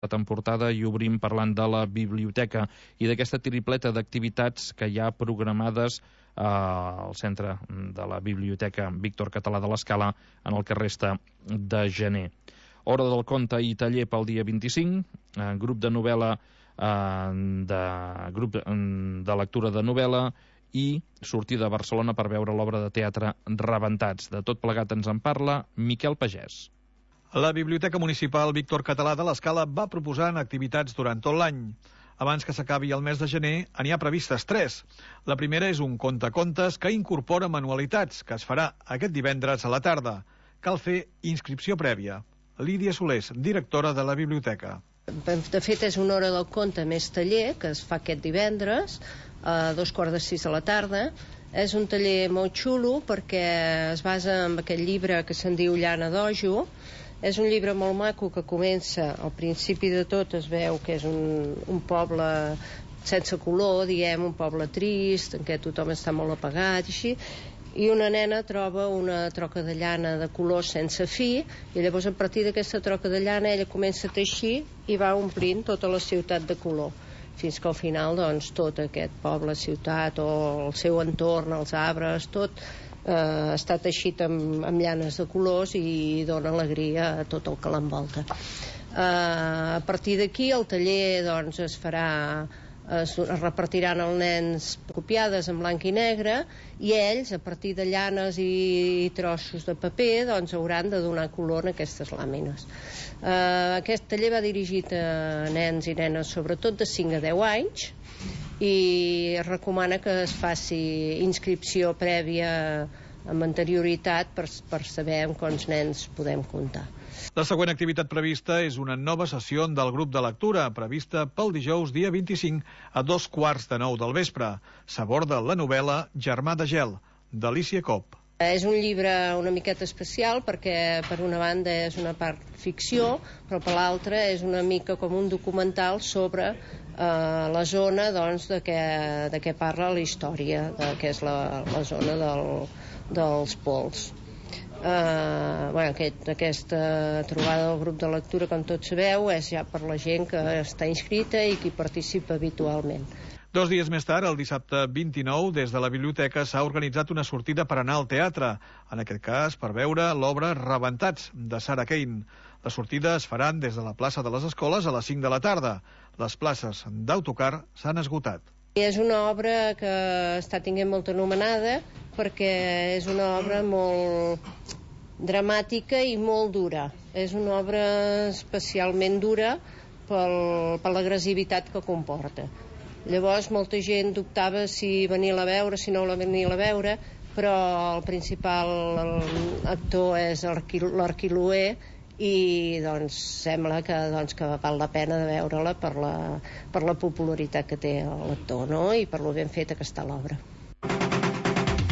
en portada i obrim parlant de la biblioteca i d'aquesta tripleta d'activitats que hi ha programades al centre de la Biblioteca Víctor Català de l'Escala en el que resta de gener. Hora del conte i taller pel dia 25, grup de novel·la, grup de lectura de novel·la i sortida a Barcelona per veure l'obra de teatre Rebentats. De tot plegat ens en parla Miquel Pagès. La Biblioteca Municipal Víctor Català de l'Escala va proposant activitats durant tot l'any. Abans que s'acabi el mes de gener, n'hi ha previstes 3. La primera és un contacontes que incorpora manualitats, que es farà aquest divendres a la tarda. Cal fer inscripció prèvia. Lídia Solés, directora de la biblioteca. De fet, és una hora del conte més taller, que es fa aquest divendres, a 5:45 de la tarda. És un taller molt xulo perquè es basa en aquest llibre que se'n diu Llana d'Ojo. És un llibre molt maco que comença, al principi de tot es veu que és un poble sense color, diguem, un poble trist, en què tothom està molt apagat i així, i una nena troba una troca de llana de color sense fi, i llavors a partir d'aquesta troca de llana ella comença a teixir i va omplint tota la ciutat de color, fins que al final doncs tot aquest poble, ciutat o el seu entorn, els arbres, tot està teixit amb llanes de colors i dona alegria a tot el que l'envolta. A partir d'aquí el taller doncs es farà, es repartiran als nens copiades en blanc i negre i ells, a partir de llanes i trossos de paper, doncs hauran de donar color en aquestes làmines. Aquest taller va dirigit a nens i nenes sobretot de 5 a 10 anys i es recomana que es faci inscripció prèvia amb anterioritat per saber amb quants nens podem comptar. La següent activitat prevista és una nova sessió del grup de lectura, prevista pel dijous dia 25 a 8:45 del vespre. S'aborda la novel·la Germà de gel, d'Alícia Copp. És un llibre una miqueta especial perquè per una banda és una part ficció, però per l'altra és una mica com un documental sobre la zona doncs, de què parla la història, que és la zona dels pols. Aquesta trobada del grup de lectura, com tots sabeu, és ja per la gent que està inscrita i qui participa habitualment. 2 dies més tard, el dissabte 29, des de la biblioteca s'ha organitzat una sortida per anar al teatre, en aquest cas per veure l'obra Rebentats, de Sarah Kane. Les sortides es faran des de la plaça de les Escoles a les 5 de la tarda. Les places d'autocar s'han esgotat. És una obra que està tenint molta anomenada perquè és una obra molt dramàtica i molt dura. És una obra especialment dura per l'agressivitat que comporta. Llavors molta gent dubtava si venir-la a veure, si no venir-la a veure, però el principal actor és l'Arquiloé i doncs sembla que val la pena de veure-la per la popularitat que té l'actor, no? I per lo ben feta que està l'obra.